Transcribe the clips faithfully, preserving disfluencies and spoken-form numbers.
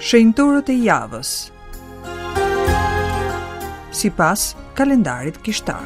Shenjtorët e javës sipas kalendarit kishtar.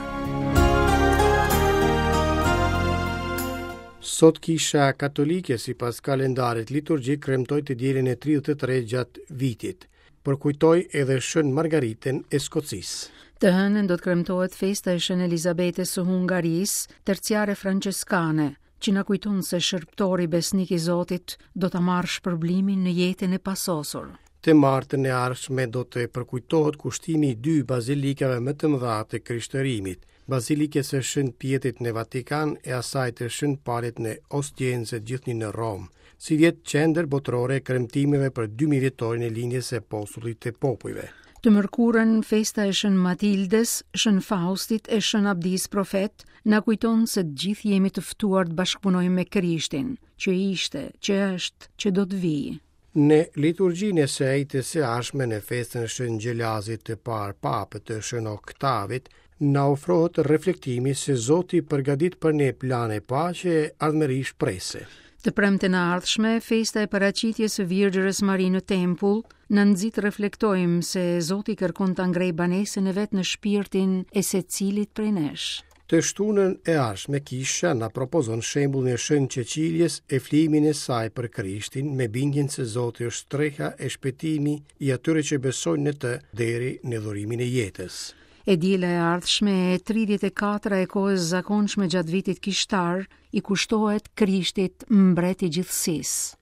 Sot Kisha Katolike sipas kalendarit liturgjik kremtoi të dielën e tridhjetë e tre gjatë vitit. Përkujtoi edhe Shën Margaritën e Skocisë. Të hënën do të kremtohet festa e Shën Elizabetës së Hungarisë, terciare franceskane, që na kujton se shërbëtori besnik i Zotit do ta marrë shpërblimin në jetën e pasosur. Të martën e ardhshme do të përkujtohet kushtimi i dy bazilikave më të mëdha të krishtërimit, Bazilikës së Shën Pjetrit në Vatikan e asaj të Shën Palit në Ostiense, gjithnjë në Romë, si vjet qendër botërore e kremtimeve për dy mijë vjetorin e lindjes së apostullit të popujve. Të mërkurën, festa e Shën Matildes, Shën Faustit e Shën Abdis Profet na kujton se të gjithë jemi të ftuar të bashkëpunojmë me Krishtin, që ishte, që është, që do të vijë. Në liturgjinë e së ejtës së ardhshme në festën e Shën Gjelazit të parë papë të Shën Oktavit, na ofrohet reflektimi se Zoti përgatit për ne plane paqe e ardhmëri shprese. Të premten e ardhshme, festa e paraqitjes së Virgjërës Mari në tempull na nxit reflektojmë se Zoti kërkon ta ngrejë banesën e vet në shpirtin e secilit prej nesh. Të shtunën e ardhshme kisha na propozon shembullin e Shën Cecilies e flimin e saj për Krishtin me bindjen se Zoti është streha e shpëtimi i atyre që besojnë në të deri në dhurimin e jetës. E diela e ardhshme e tridhjetë e katra e kohës zakonshme gjatë vitit kishtar i kushtohet Krishtit, mbret i gjithësisë.